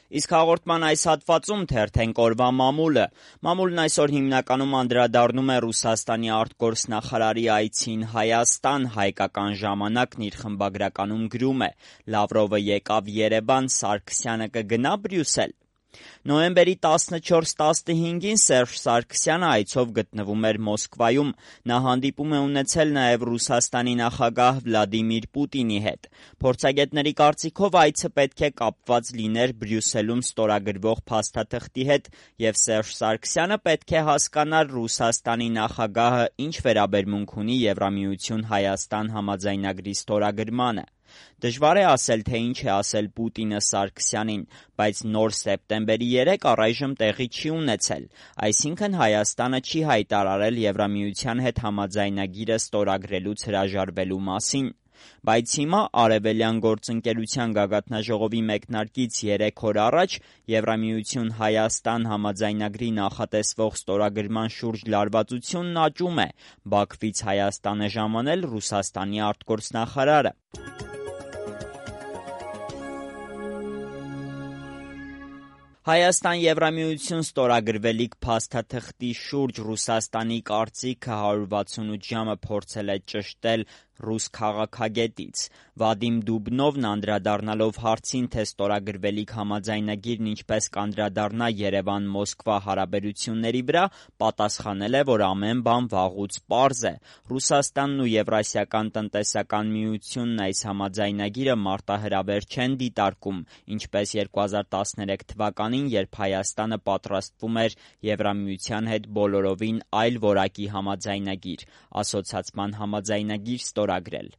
Իսկ հաղորդման այս հատվածում թերթենք օրվա մամուլը։ Մամուլն այսօր հիմնականում անդրադառնում է Ռուսաստանի արտգործնախարարի այցին Հայաստան։ Հայկական ժամանակն իր խմբագրականում գրում է. Լավրովը եկավ Երևան, Սարգսյանը կգնա Բրյուսել։ Նոյեմբերի 14-15-ին Սերժ Սարգսյանը այցով գտնվում էր Մոսկվայում։ Նա հանդիպում է ունեցել նաև Ռուսաստանի նախագահ Վլադիմիր Պուտինի հետ։ Փորձագետների կարծիքով այցը պետք է կապված լիներ Բրյուսելում ստորագրվող փաստաթղթի հետ, եւ Սերժ Սարգսյանը պետք է հասկանար Ռուսաստանի նախագահը ինչ վերաբերմունք ունի Եվրամիություն-Հայաստան համաձայնագրի ստորագրմանը։ Դժվար է ասել, թե ինչ է ասել Պուտինը Սարգսյանին, բայց նոր սեպտեմբերի 3 առայժմ տեղի չի ունեցել, այսինքն Հայաստանը չի հայտարարել Եվրամիության հետ համաձայնագիրը ստորագրելուց հրաժարվելու մասին։ Բայց հիմա Արևելյան գործընկերության գագաթնաժողովի մեկնարկից 3 օր առաջ Եվրամիություն-Հայաստան համաձայնագրի նախատեսվող ստորագրման շուրջ լարվածությունն աճում է։ Բաքվից Հայաստան է ժամանել Ռուսաստանի արտգործնախարարը։ Հայաստան-Եվրամիություն ստորագրվելիք փաստաթղթի շուրջ Ռուսաստանի կարծիքը 168 ժամը փորձել է ճշտել ռուս քաղաքագետից։ Վադիմ Դուբնովն անդրադառնալով հարցին, թե ստորագրվելիք համաձայնագիրն ինչպես կանդրադառնա Երևան-Մոսկվա հարաբերությունների վրա, պատասխանել է, որ ամեն բան վաղուց պարզ է։ Ռուսաստանն ու Եվրասիական տնտեսական միությունն այս համաձայնագիրը մարտահրավեր չեն դիտարկում, ինչպես 2013 թվականին, երբ Հայաստանը պատրաստվում էր Եվրամիության հետ բոլորովին այլ որակի համաձայնագիր՝ ասոցացման համաձայնագիր ստորագրել։